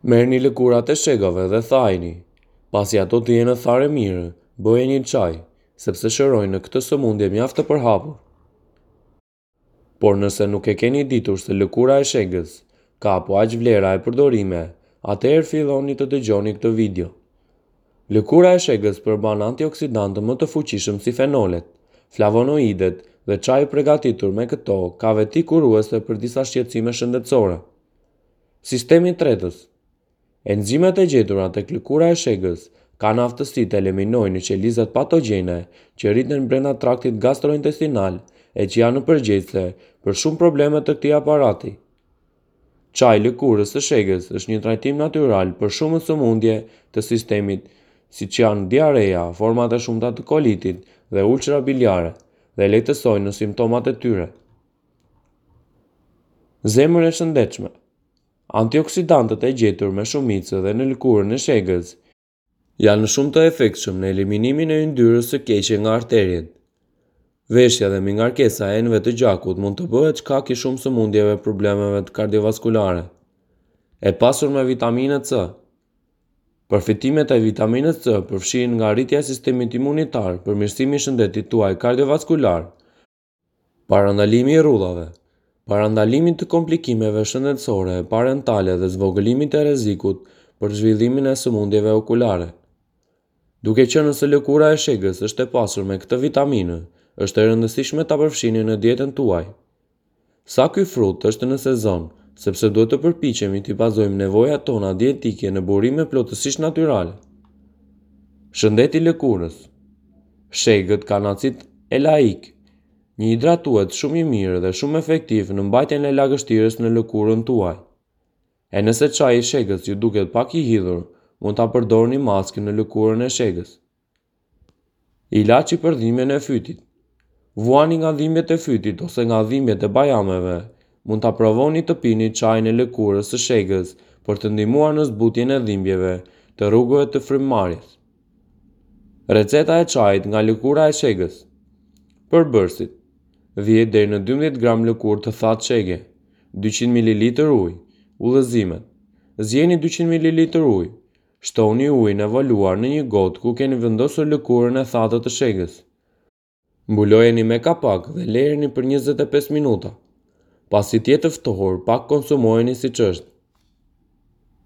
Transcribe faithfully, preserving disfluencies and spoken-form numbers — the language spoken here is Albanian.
Merrni lëkurat e shegave dhe thajini. Pasi ato të jenë tharë mirë, bëjeni çaj, sepse shërojnë në këtë sëmundje mjaft të përhapur. Por nëse nuk e keni ditur se lëkura e shegës ka po aq vlera e përdorime, atëherë filloni të dëgjoni këtë video. Lëkura e shegës përmban antioksidantë më të fuqishëm si fenolet, flavonoidet dhe çaji i përgatitur me këto ka veti kuruese për disa shqetësime shëndetësore. Sistemi tretës. Enzimet e gjetura tek lëkura e shegës kanë aftësi të eliminojnë qelizat patogjene që rriten brenda traktit gastrointestinal e që janë përgjegjëse për shumë probleme të këtij aparati. Çaji i lëkurës së shegës është një trajtim natyral për shumë sëmundje të sistemit, siç janë diarreja, format e shumta të kolitit dhe ulçera biliare, dhe lehtësojnë në simptomat e tyre. Zemër e shëndetshme. Antioksidantët e gjetur me shumicë dhe në lëkurën e shegës janë shumë të efektshëm në eliminimin e yndyrës së keqe nga arteriet. Veshja dhe mbingarkesa e enëve të gjakut mund të bëhet shkak i shumë sëmundjeve e problemeve të kardiovaskulare. E pasur me vitaminë C. Përfitimet e vitaminës C përfshijnë nga rritja e sistemit imunitar, përmirësimi i shëndetit tuaj kardiovaskular, parandalimi i rrudhave, parandalimit të komplikimeve shëndetësore parentale dhe zvogëlimit të rrezikut për zhvillimin e sëmundjeve okulare. Duke qenë se lëkura e shegës është e pasur me këtë vitaminë, është e rëndësishme ta përfshini në dietën tuaj. Sa ky frut është në sezon, sepse duhet të përpiqemi t'i bazojmë nevojat tona dietike në burime plotësisht natyrale. Shëndeti i lëkurës. Shegët kanë acid elaik, një hidratues shumë i mirë dhe shumë efektiv në mbajtjen e lagështirës në lëkurën tuaj. E nëse çaji i shegës ju duket pak i hidhur, mund ta përdorni maskë në lëkurën e shegës. Ilaçi për dhimbjen e fytit. Vuani nga dhimbjet e fytit ose nga dhimbjet e bajameve, mund ta provoni të pini çajin e lëkurës së shegës për të ndihmuar në zbutjen e dhimbjeve të rrugëve të frymëmarrjes. Receta e çajit nga lëkura e shegës. Përbërësit: dhjetë deri në dymbëdhjetë gram lëkurë të thatë shege, dyqind mililitër ujë. Udhëzimet: Zjeni dyqind mililitër ujë. Shtoni ujin e valuar në një gotë ku keni vendosur lëkurën e thatë të shegës. Mbulojeni me kapak dhe lëreni për njëzet e pesë minuta. Pasi të jetë ftohur, pak konsumojeni siç është.